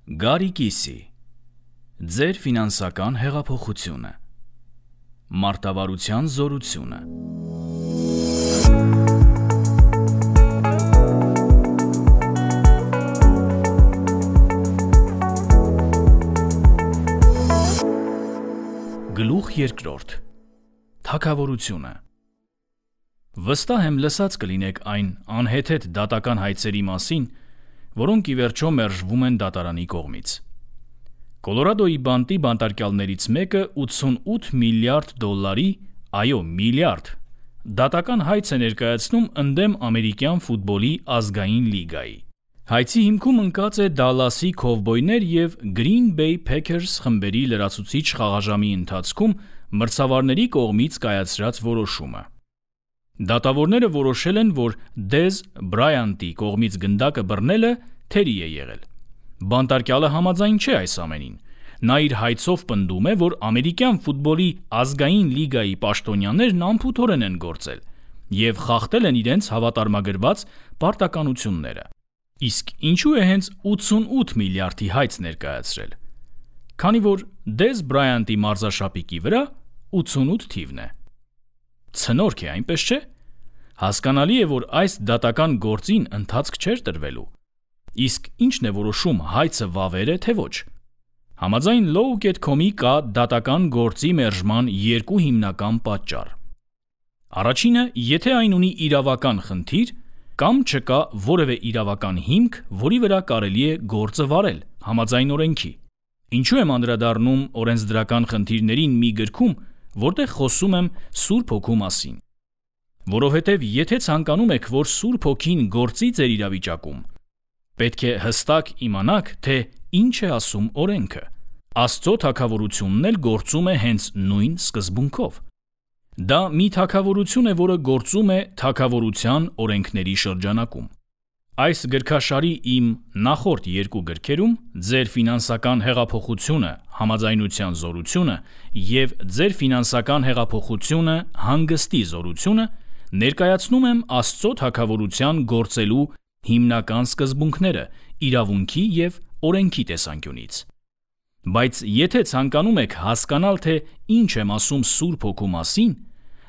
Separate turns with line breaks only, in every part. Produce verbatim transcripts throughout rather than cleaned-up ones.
Գարի կիսի, ձեր ֆինանսական հեղափոխությունը, մարտավարության զորությունը։ Գլուխ երկրորդ, թագավորությունը։ Վստահ եմ լսած կլինեք այն անհեթեթ դատական հայցերի մասին, որոնք ի վերջո մերժվում են դատարանի կողմից։ Կոլորադոյի բանտի բանտարկյալներից մեկը ութսունութ միլիարդ դոլարի, այո, միլիարդ, դատական հայց է ներկայացնում ընդդեմ ամերիկյան ֆուտբոլի ազգային լիգայի։ Հայցի հիմքում ընկած է Դալլասի Քովբոյներ և Green Bay Packers խմբերի լրացուցիչ խաղաժամի ընթացքում մրցավարների կողմից կայացրած որոշումը։ Դատավորները որոշել են, որ Դեզ Բրայանտի կողմից գնդակը բռնելը թերի է եղել։ Բանտարկյալը համաձայն չէ այս ամենին։ Նա իր հայցով պնդում է, որ ամերիկյան ֆուտբոլի ազգային լիգայի պաշտոնյաներն անփութորեն են գործել և խախտել են իրենց հավատարմագրված պարտականությունները։ Իսկ ինչու է հենց ութսունութ միլիարդի հայց ներկայացրել։ Քանի որ Դեզ Բրայանտի մարզաշապիկի վրա ութսունութ թիվն է։ Ցնորք է, այնպես չէ։ Հասկանալի է, որ այս դատական գործին ընթացք չէր տրվելու։ Իսկ ի՞նչն է որոշում, հայցը վավեր է, թե ոչ։ Համաձայն Low dot com-ի կա դատական գործի մերժման երկու հիմնական պատճառ։ Առաջինը, եթե այն ունի իրավական խնդիր, կամ չկա որևէ իրավական հիմք, որի վրա կարելի է գործը վարել, համաձայն օրենքի։ Ինչու եմ անդրադառնում օրենսդրական խնդիրներին մի գրքում, որտեղ խոսում եմ Սուրբ Հոգու մասին։ Որովհետև եթե ցանկանում եք, որ Սուրբ Հոգին գործի ձեր իրավիճակում, պետք է հստակ իմանաք, թե ինչ է ասում օրենքը։ Աստծո թագավորությունն էլ գործում է հենց նույն սկզբունքով։ Դա մի թագավորություն է, որը գործում է թագավորության օրենքների շրջանակում։ Այս գրքաշարի իմ նախորդ երկու գրքերում ձեր ֆինանսական հեղափոխությունը, համաձայնության զորությունը և ձեր ֆինանսական հեղափոխությունը, հանգստի զորությունը ներկայացնում եմ Աստծո թագավորության գործելու հիմնական սկզբունքները իրավունքի և օրենքի տեսանկյունից։ Բայց եթե ցանկանում եք հասկանալ, թե ինչ եմ ասում Սուրբ Հոգու մասին,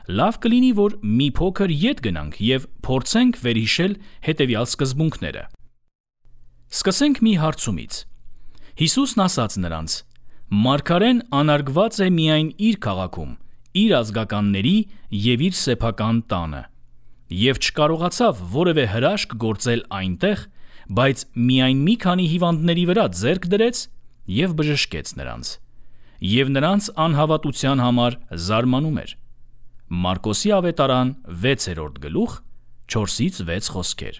լավ կլինի, որ մի փոքր ետ գնանք և փորձենք վերհիշել հետևյալ սկզբունքները։ Սկսենք մի հարցումից։ Հիսուսն ասաց նրանց. «Մարգարեն անարգված է միայն իր քաղաքում, իր ազգականների և իր սեփական տանը, և չկարողացավ որևէ հրաշք գործել այնտեղ, բայց միայն մի քանի հիվանդների վրա ձեռք դրեց և բժշկեց նրանց, և նրանց անհավատության համար զարմանում էր»։ Մարկոսի ավետարան վեցերորդ գլուխ չորսից վեց խոսքեր։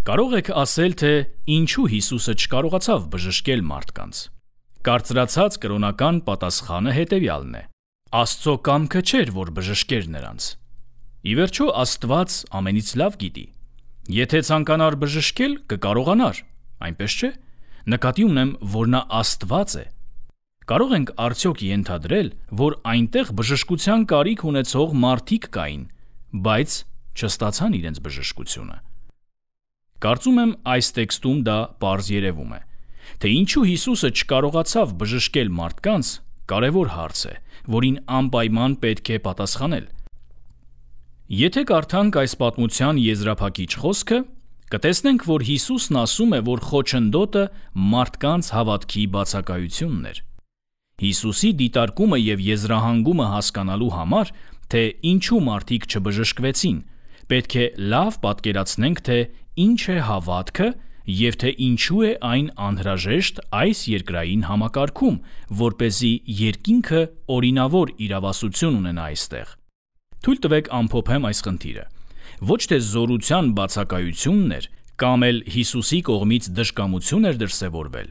Կարող եք ասել, թե ինչու Հիսուսը չկարողացավ բժշկել մարդկանց։ Կարծրացած կրոնական պատասխանը հետևյալն է. Աստծո կամքը չէր, որ բժշկեր նրանց։ Ի վերջո Աստված ամենից լավ գիտի։ Եթե ցանկանար բժշկել, կկարողանար, այնպես չէ։ Նկատի ունեմ, որ նա Աստված է։ Կարող ենք արդյոք ենթադրել, որ այնտեղ բժշկության կարիք ունեցող մարդիկ կային, բայց չստացան իրենց բժշկությունը։ Կարծում եմ այս տեքստում դա պարզ երևում է, թե ինչու Հիսուսը չկարողացավ բժշկել մարդկանց, կարևոր հարց է, որին անպայման պետք է պատասխանել։ Եթե կարդանք այս պատմության եզրափակիչ խոսքը, կտեսնենք, որ Հիսուսն ասում է, որ խոչընդոտը մարդկանց հավատքի բացակայությունն էր։ Հիսուսի դիտարկումը և եզրահանգումը հասկանալու համար, թե ինչու մարդիկ չբժշկվեցին, պետք է լավ պատկերացնենք, թե ինչ է հավատքը և թե ինչու է այն անհրաժեշտ այս երկրային համակարգում, որպեսզի երկինքը օրինավոր իրավասություն ունենա այստեղ։ Թույլ տվեք ամփոփեմ այս խնդիրը։ Ոչ թե զորության բացակայությունն էր, կամ էլ Հիսուսի կողմից դժկամություն էր դրսևորվել,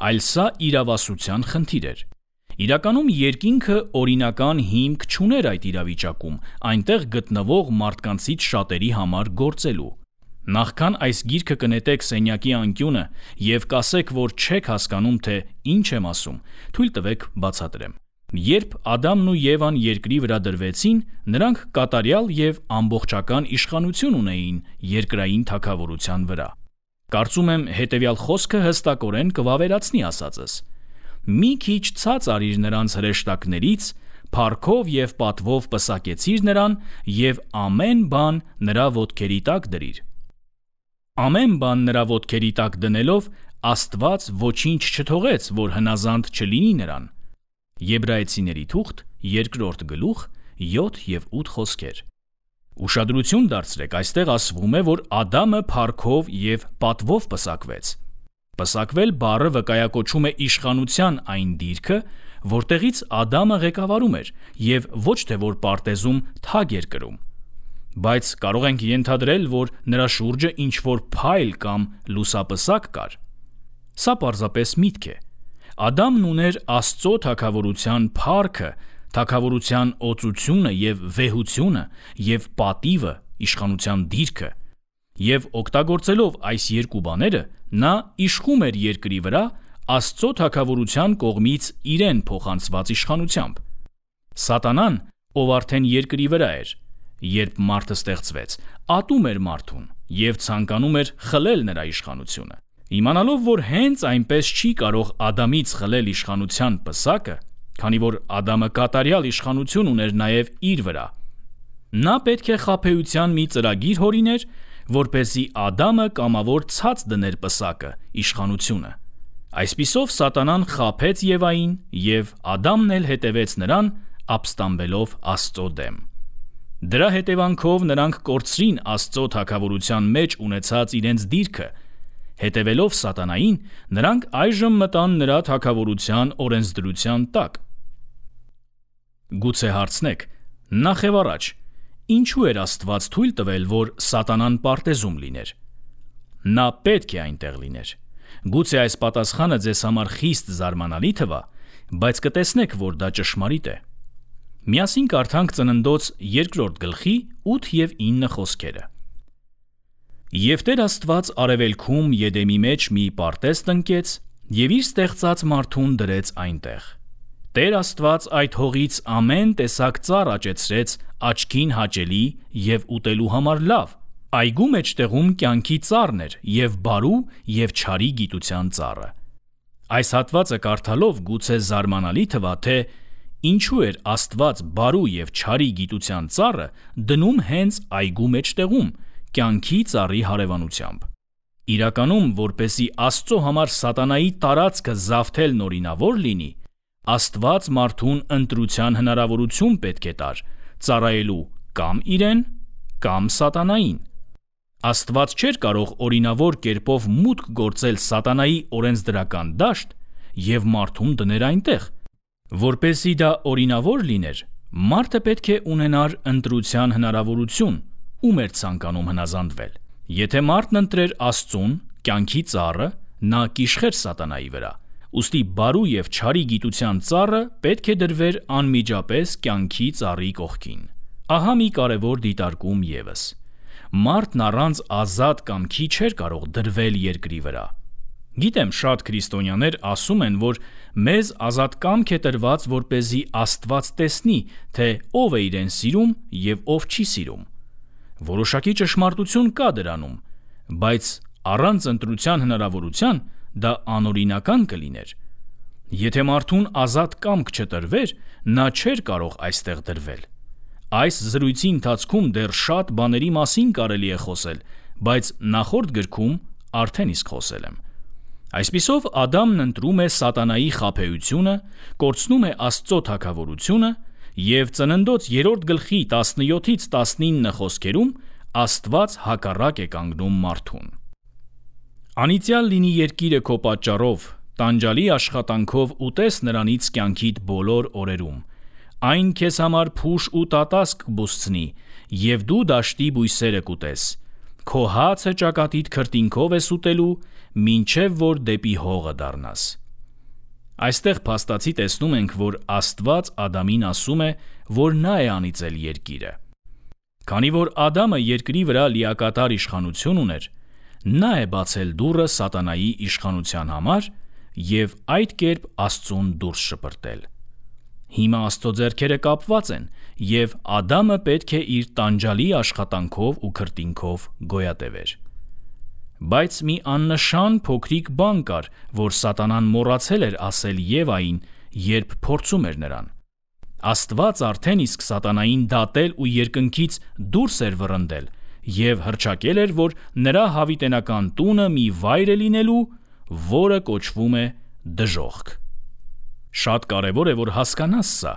այլ սա իրավասության խնդիր էր։ Իրականում երկինքը օրինական հիմք չուներ այդ իրավիճակում, այնտեղ գտնվող մարդկանցից շատերի համար գործելու։ Նախքան այս գիրքը կնետեք սենյակի անկյունը և կասեք, որ չեք հասկանում, թե ինչ եմ ասում, թույլ տվեք բացատրեմ։ Երբ Ադամն ու Եվան երկրի վրա դրվեցին, նրանք կատարյալ և ամբողջական իշխանություն ունեին երկրային թագավորության վրա։ Կարծում եմ հետևյալ խոսքը հստակորեն կվավերացնի ասածս. մի քիչ ցած արիր նրանց հրեշտակներից, փառքով և պատվով պսակեցիր նրան և ամեն բան նրա ոտքերի տակ դրիր։ Ամեն բան նրա ոտքերի տակ դնելով Աստված ոչինչ չթողեց, որ հնազանդ չլինի նրան։ Եբրայեցիների թուղթ, երկրորդ գլուխ, յոթ և ութ խոսքեր։ Ուշադրություն դարձրեք, այստեղ ասվում է, որ Ադամը փառքով և պատվով պսակվեց։ Պսակվել բառը վկայակոչում է իշխանության այն դիրքը, որտեղից Ադամը ղեկավարում էր և ոչ թե որ պարտեզում թագ էր կրում։ Բայց կարող ենք ենթադրել, որ նրա շուրջը ինչ-որ փայլ կամ լուսապսակ կար։ Սա պարզապես միտք է։ Ադամն ուներ Աստծո թագավորության փառքը, թագավորության օծությունը և վեհությունը և պատիվը, իշխանության դիրքը, և օգտագործելով այս երկու բաները, նա իշխում էր երկրի վրա Աստծո թագավորության կողմից իրեն փոխանցված իշխանությամբ։ Սատանան, ով արդեն երկրի վրա էր, երբ մարդը ստեղծվեց, ատում էր մարդուն և ցանկանում էր խլել նրա իշխանությունը։ Իմանալով, որ հենց այնպես չի կարող Ադամից խլել իշխանության պսակը, քանի որ Ադամը կատարյալ իշխանություն ուներ նաև իր վրա, նա պետք է խաբեության մի ծրագիր հորիներ, որպեսզի Ադամը կամավոր ցած դներ պսակը, իշխանությունը։ Այսպիսով Սատանան խաբեց Եվային, և Ադամն էլ հետևեց նրան, ապստամբելով Աստծո դեմ։ Դրա հետևանքով նրանք կորցրին Աստծո թագավորության մեջ ունեցած իրենց դիրքը։ Հետևելով Սատանային, նրանք այժմ մտան նրա թագավորության օրենսդրության տակ։ Գուցե հարցնեք, նախ և առաջ, ինչու էր Աստված թույլ տվել, որ Սատանան պարտեզում լիներ։ Նա պետք է այնտեղ լիներ։ Գուցե այս պատասխանը ձեզ համար խիստ զարմանալի թվա, բայց կտեսնեք, որ դա ճշմարիտ է։ Միասին կարդանք Ծննդոց երկրորդ գլխի ութ և ինը խոսքերը։ Եվ Տեր Աստված արևելքում Եդեմի մեջ մի պարտեզ տնկեց և իր ստեղծած մարդուն դրեց այնտեղ։ Տեր Աստված այդ հողից ամեն տեսակ ծառ աճեցրեց աչքին հաճելի և ուտելու համար լավ։ Այգու մեջտեղում կյանքի ծառն էր և բարու և չարի գիտության ծառը։ Այս հատվածը կարդալով գուցե զարմանալի թվա, թե ինչու էր Աստված բարու և չարի գիտության ծառը դնում հենց այգու մեջտեղում, կյանքի ծառի հարևանությամբ։ Իրականում, որպեսզի Աստծո համար Սատանայի տարածքը զավթելն օրինավոր լինի, Աստված մարդուն ընտրության հնարավորություն պետք է տար՝ ծառայելու կամ իրեն, կամ Սատանային։ Աստված չէր կարող օրինավոր կերպով մուտք գործել Սատանայի օրենսդրական դաշտ և մարդուն դներ այնտեղ։ Որպեսզի դա օրինավոր լիներ, մարդը պետք է ունենար ընտրության հնարավորություն, ում էր ցանկանում հնազանդվել։ Եթե մարդն ընտրեր Աստծուն, կյանքի ծառը, նա կիշխեր Սատանայի վրա։ Ուստի բարու և չարի գիտության ծառը պետք է դրվեր անմիջապես կյանքի ծառի կողքին։ Ահա մի կարևոր դիտարկում ևս. մարդն առանց ազատ կամքի չէր կարող դրվել երկրի վրա։ Գիտեմ, շատ քրիստոնյաներ ասում են, որ մեզ ազատ կամք է տրված, որպեսզի Աստված տեսնի, թե ով է իրեն սիրում և ով չի սիրում։ Որոշակի ճշմարտություն կա դրանում, բայց առանց ընտրության հնարավորության դա անօրինական կլիներ։ Եթե մարդուն ազատ կամք չտրվեր, նա չէր կարող այստեղ դրվել։ Այս զրույցի ընթացքում դեռ շատ բաների մասին կարելի է խոսել, բայց նախորդ գրքում արդեն իսկ խոսել եմ։ Այսպիսով Ադամն ընտրում է Սատանայի խաբեությունը, կորցնում է Աստծո թագավորությունը և Ծննդոց երրորդ գլխի տասնյոթից տասնինը խոսքերում Աստված հակառակ է կանգնում մարդուն։ Անիծյալ լինի երկիրը քո պատճառով, տանջալի աշխատանքով ուտես նրանից կյանքիդ բոլոր օրերում։ Այն քեզ համար փուշ ու տատասկ կբուզցնի, և դու դաշտի բույսերը կուտես։ Քո հացը ճակատիդ քրտինքով ես ուտելու, մինչև որ դեպի հողը դառնաս։ Այստեղ փաստացի տեսնում ենք, որ Աստված Ադամին ասում է, որ նա է անիծել երկիրը։ Քանի որ Ադամը երկրի վրա լիակատար իշխանություն ուներ, նա է բացել դուռը Սատանայի իշխանության համար և այդ կերպ Աստծուն դուրս շպրտել։ Հիմա Աստծո ձեռքերը կապված են, և Ադամը պետք է իր տանջալի աշխատանքով ու քրտինքով գոյատևեր։ Բայց մի աննշան փոքրիկ բան կար, որ սատանան մոռացել էր ասել Եվային, երբ փորձում էր նրան։ Աստված արդեն իսկ սատանային դատել ու երկնքից դուրս էր վռնդել և հռչակել էր, որ նրա հավիտենական տունը մի վայր է լինելու, որը կոչվում է դժոխք։ Շատ կարևոր է, որ հասկանաս սա։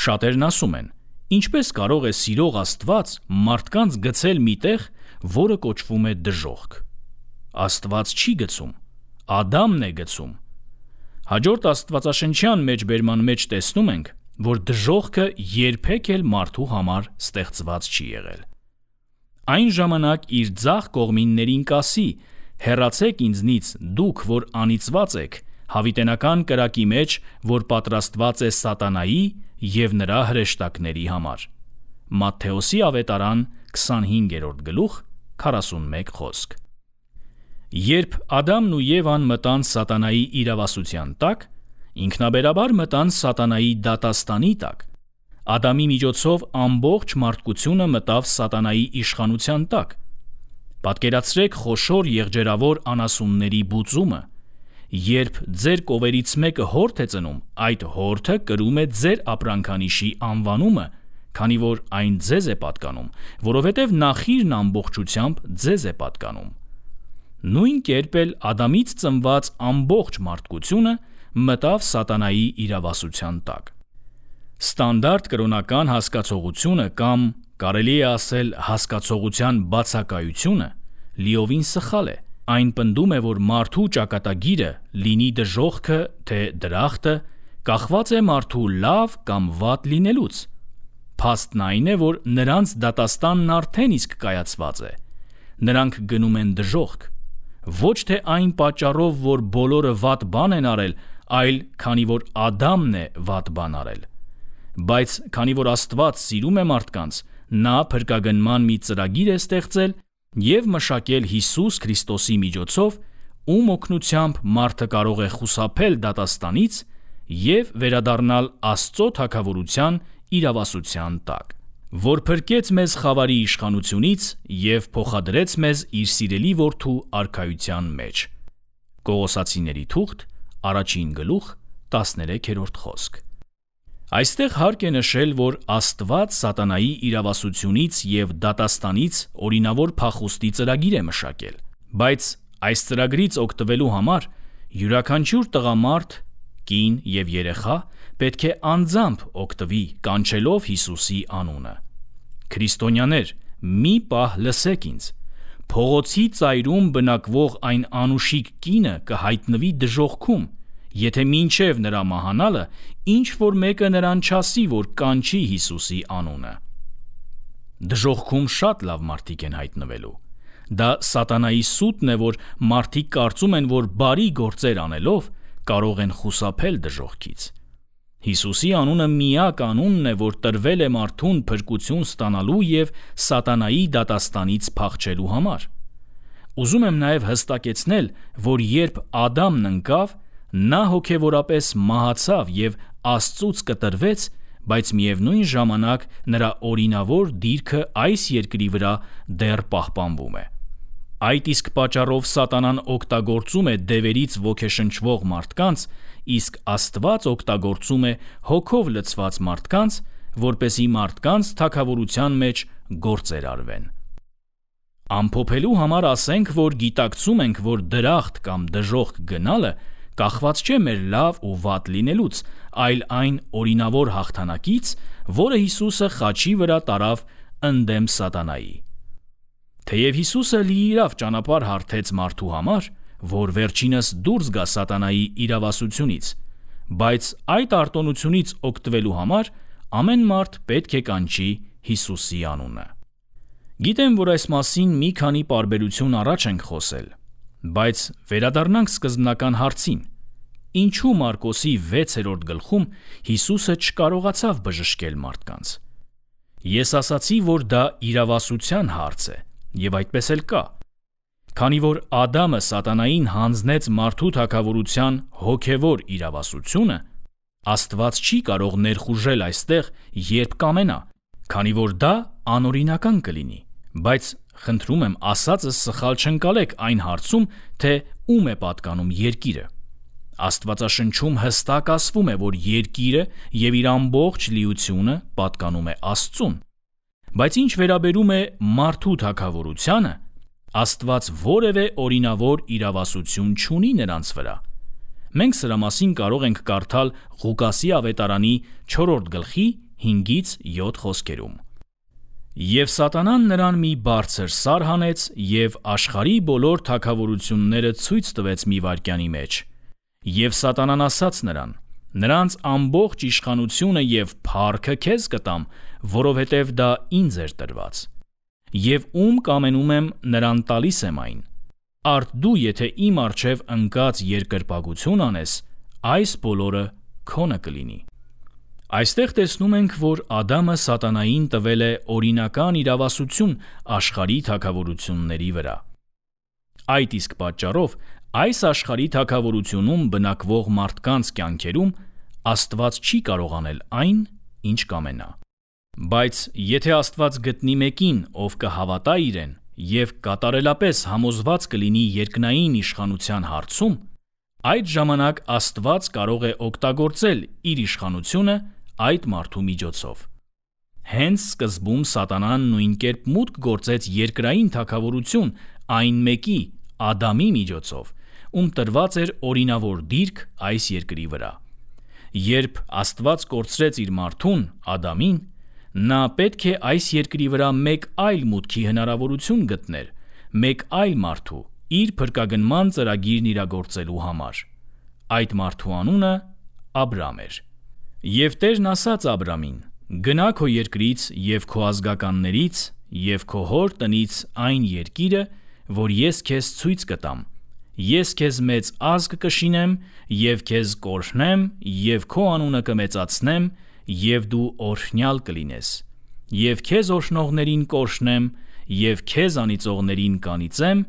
Շատերն ասում են. ինչպես կարող է սիրող Աստված մարդկանց գցել մի տեղ, որը կոչվում է դժոխք։ Աստված չի գցում, Ադամն է գցում։ Հաջորդ աստվածաշնչյան մեջբերման մեջ տեսնում ենք, որ դժոխքը երբեք էլ մարդու համար ստեղծված չի եղել։ Այն ժամանակ իր ձախ կողմիններին կասի. հեռացեք ինձնից, դուք, որ անիծված եք, հավիտենական կրակի մեջ, որ պատրաստված է սատանայի և նրա հրեշտակների համար։ Մատթեոսի ավետարան քսանհինգերորդ գլուխ քառասունմեկ խոսք։ Երբ Ադամն ու Եվան մտան սատանայի իրավասության տակ, ինքնաբերաբար մտան սատանայի դատաստանի տակ։ Ադամի միջոցով ամբողջ մարդկությունը մտավ սատանայի իշխանության տակ։ Պատկերացրեք խոշոր եղջերավոր անասունների բուծումը։ Երբ ձեր կովերից մեկը հորթ է ծնում, այդ հորթը կրում է ձեր ապրանքանիշի անվանումը, քանի որ այն ձեզ է պատկանում, որովհետև նախիրն ամբողջությամբ ձեզ է պատկանում։ Նույն կերպ էլ Ադամից ծնված ամբողջ մարդկությունը մտավ սատանայի իրավասության տակ։ Ստանդարտ կրոնական հասկացողությունը կամ կարելի է ասել հասկացողության բացակայությունը լիովին սխալ է։ Այն պնդում է, որ մարդու ճակատագիրը, լինի դժոխքը, թե դրախտը, կախված է մարդու լավ կամ վատ լինելուց։ Փաստն այն է, որ նրանց դատաստանն արդեն իսկ կայացված է։ Նրանք գնում են դժոխք։ Ոչ թե այն պատճառով, որ բոլորը վատ բան են արել, այլ քանի որ Ադամն է վատ բան արել։ Բայց քանի որ Աստված սիրում է մարդկանց, նա փրկագնման մի ծրագիր է ստեղծել և մշակել Հիսուս Քրիստոսի միջոցով, ում օգնությամբ մարդը կարող է խուսափել դատաստանից և վերադառնալ Աստծո թագավորության իրավասության տակ, որ փրկեց մեզ խավարի իշխանությունից և փոխադրեց մեզ իր սիրելի որդու արքայության մեջ։ Կողոսացիների թուղթ, առաջին գլուխ, տասներեքերորդ խոսք։ Այստեղ հարկ է նշել, որ Աստված սատանայի իրավասությունից և դատաստանից օրինավոր փախուստի ծրագիր է մշակել, բայց այս ծրագրից օգտվելու համար յուրաքանչյուր տղամարդ, կին և երեխա պետք է անձամբ օգտվի, կանչելով Հիսուսի անունը։ Քրիստոնյաներ, մի պահ լսեք ինձ։ Փողոցի ծայրում բնակվող այն անուշիկ կինը կհայտնվի դժոխքում, եթե մինչև նրա մահանալը ինչ-որ մեկը նրան չասի, որ կանչի Հիսուսի անունը։ Դժոխքում շատ լավ մարդիկ են հայտնվելու։ Դա սատանայի սուտն է, որ մարդիկ կարծում են, որ բարի գործեր անելով կարող են խուսափել դժոխքից։ Հիսուսի անունը միակ անունն է, որ տրվել է մարդուն փրկություն ստանալու և սատանայի դատաստանից փախչելու համար։ Ուզում եմ նաև հստակեցնել, որ երբ Ադամն ընկավ, նա հոգևորապես մահացավ և Աստծուց կտրվեց, բայց միևնույն ժամանակ նրա օրինավոր դիրքը այս երկրի վրա դեռ պահպանվում է։ Այդ իսկ պատճառով սատանան օգտագործում է դևերից ոգեշնչվող մարդկանց, իսկ Աստված օգտագործում է հոգով լցված մարդկանց, որպեսզի մարդկանց թագավորության մեջ գործեր արվեն։ Ամփոփելու համար ասենք, որ գիտակցում ենք, որ դրախտ կամ դժոխք գնալը կախված չէ մեր լավ ու վատ լինելուց, այլ այն օրինավոր հաղթանակից, որը Հիսուսը խաչի վրա տարավ ընդդեմ սատանայի։ Թեև Հիսուսը լիիրավ ճանապարհ հարթեց մարդու համար, որ վերջինս դուրս գա սատանայի իրավասությունից, բայց այդ արտոնությունից օգտվելու համար ամեն մարդ պետք է կանչի Հիսուսի անունը։ Գիտեմ, որ այս մասին մի քանի պարբերություն առաջ ենք խոսել, բայց վերադառնանք սկզբնական հարցին. ինչու Մարկոսի վեցերորդ գլխում Հիսուսը չկարողացավ բժշկել մարդկանց։ Ես ասացի, որ դա իրավասության հարց է, և այդպես էլ կա։ Քանի որ Ադամը սատանային հանձնեց մարդու թագավորության հոգևոր իրավասությունը, Աստված չի կարող ներխուժել այստեղ, երբ կամենա, քանի որ դա անօրինական կլինի, բայց խնդրում եմ ասածս սխալ չընկալեք այն հարցում, թե ում է պատկանում երկիրը։ Աստվածաշնչում հստակ ասվում է, որ երկիրը եւ իր ամբողջ լիությունը պատկանում է Աստծուն։ Բայց ինչ վերաբերում է մարդու թագավորությանը, Աստված որևէ օրինավոր իրավասություն չունի նրանց վրա։ Մենք սրա մասին կարող ենք կարդալ Ղուկասի ավետարանի չորրորդ գլխի հինգից յոթ խոսքերում։ Եվ Սատանան նրան մի բարձր սար հանեց և աշխարհի բոլոր թագավորությունները ցույց տվեց մի վայրկյանի մեջ։ Եվ Սատանան ասաց նրան. նրանց ամբողջ իշխանությունը և փառքը քեզ կտամ, որովհետև դա ինձ էր տրված։ Եվ ում կամենում եմ, նրան տալիս եմ այն։ Արդ դու, եթե իմ առջև ընկած երկրպագություն անես, այս բոլորը քոնը կլինի։ Այստեղ տեսնում ենք, որ Ադամը Սատանային տվել է օրինական իրավասություն աշխարհի թագավորությունների վրա։ Այդ իսկ պատճառով այս աշխարհի թագավորությունում բնակվող մարդկանց կյանքերում Աստված չի կարող անել այն, ինչ կամենա։ Բայց եթե Աստված գտնի մեկին, ով կհավատա իրեն և կատարելապես համոզված կլինի երկնային իշխանության հարցում, այդ ժամանակ Աստված կարող է օգտագործել իր իշխանությունը այդ մարդու միջոցով։ Հենց սկզբում Սատանան նույն կերպ մուտք գործեց երկրային թագավորություն այն մեկի, Ադամի միջոցով, ում տրված էր օրինավոր դիրք այս երկրի վրա։ Երբ Աստված կորցրեց իր մարդուն, Ադամին, նա պետք է այս երկրի վրա մեկ այլ մուտքի հնարավորություն գտներ, մեկ այլ մարդու, իր փրկագնման ծրագիրն իրագործելու համար։ Այդ մարդու անունը Աբրամ էր։ Եվ Տերն ասաց Աբրամին. «Գնա քո երկրից և քո ազգականներից և քո հոր տնից այն երկիրը, որ ես քեզ ցույց կտամ։ Ես քեզ մեծ ազգ կշինեմ և քեզ կօրհնեմ և քո անունը կմեծացնեմ, և դու օրհնյալ կլինես։ Եվ քեզ օրհնողներին կօրհնեմ, և քեզ անիծողներին կանիծեմ,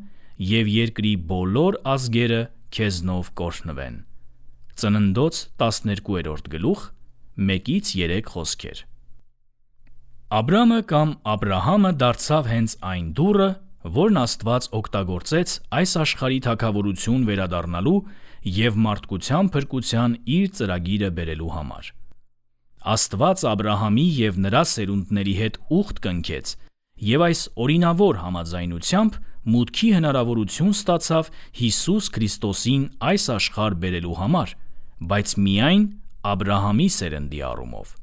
և երկրի բոլոր ազգերը քեզնով կօրհնվեն»։ Ծննդոց տասներկուերորդ գլուխ մեկից երեք խոսքեր։ Աբրամը կամ Աբրահամը դարձավ հենց այն դուռը, որն Աստված օգտագործեց այս աշխարհի թագավորություն վերադառնալու և մարդկության փրկության իր ծրագիրը բերելու համար։ Աստված Աբրահամի և նրա սերունդների հետ ուխտ կնքեց և այս օրինավոր համաձայնությամբ մուտքի հնարավորություն ստացավ Հիսուս Քրիստոսին այս աշխարհ բերելու համար, բայց միայն Աբրահամի սերնդի առումով։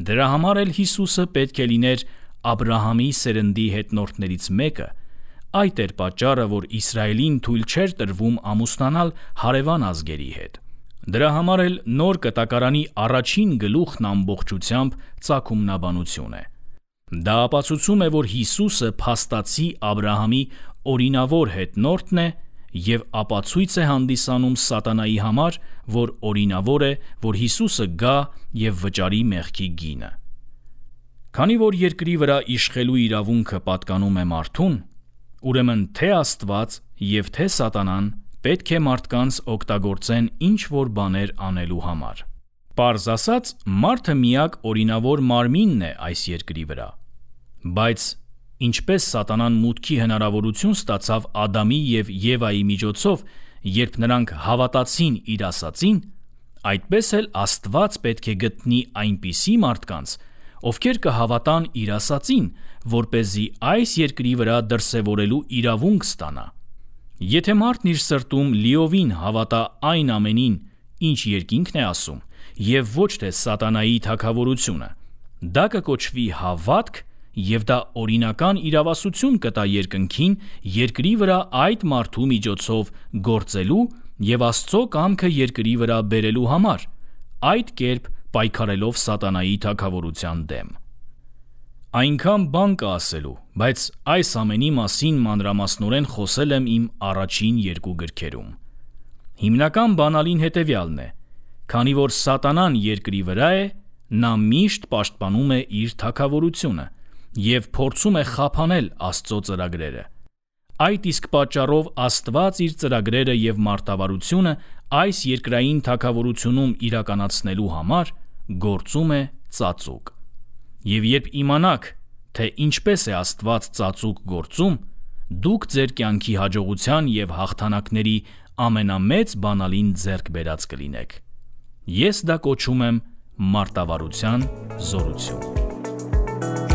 Դրա համար էլ Հիսուսը պետք է լիներ Աբրահամի սերնդի հետնորդներից մեկը։ Այդ էր պատճառը, որ Իսրայելին թույլ չէր տրվում ամուսնանալ հարևան ազգերի հետ։ Դրա համար էլ նոր կտակարանի առաջին գլուխն ամբողջությամբ ծագումնաբանություն է։ Դա ապացուցում է, որ Հիսուսը փաստացի Աբրահամի օրինավոր հետնորդն է և ապացույց է հանդիսանում Սատանայի համար, որ օրինավոր է, որ Հիսուսը գա և վճարի մեղքի գինը։ Քանի որ երկրի վրա իշխելու իրավունքը պատկանում է մարդուն, ուրեմն թե Աստված և թե Սատանան պետք է մարդկանց օգտագործեն ինչ-որ բաներ անելու համար։ Պարզ ասած, մարդը միակ օրինավոր մարմինն է այս երկրի վրա։ Բայց ինչպես Սատանան մուտքի հնարավորություն ստացավ Ադամի և Եվայի միջոցով, երբ նրանք հավատացին իր ասածին, այդպես էլ Աստված պետք է գտնի այնպիսի մարդկանց, ովքեր կհավատան իր ասածին, որպեսզի այս երկրի վրա դրսևորելու իրավունք ստանա։ Եթե մարդն իր սրտում լիովին հավատա այն ամենին, ինչ երկինքն է ասում, և ոչ թե Սատանայի թագավորությունը, դա կկոչվի հավատք, և դա օրինական իրավասություն կտա երկնքին երկրի վրա այդ մարդու միջոցով գործելու և Աստծո կամքը երկրի վրա բերելու համար, այդ կերպ պայքարելով Սատանայի թագավորության դեմ։ Այնքան բան կա ասելու, բայց այս ամենի մասին մանրամասնորեն խոսել եմ իմ առաջին երկու գրքերում։ Հիմնական բանալին հետևյալն է. քանի որ Սատանան երկրի վրա է, նա միշտ պաշտպանում է իր թագավորությունը և փորձում է խափանել Աստծո ծրագրերը։ Այդ իսկ պատճառով Աստված իր ծրագրերը և մարտավարությունը այս երկրային թագավորությունում իրականացնելու համար գործում է ծածուկ։ Եվ երբ իմանաք, թե ինչպես է Աստված ծածուկ գործում, դուք ձեր կյանքի հաջողության և հաղթանակների ամենամեծ բանալին ձեռք բերած կլինեք։ Ես դա կոչում եմ մարտավարության զորություն։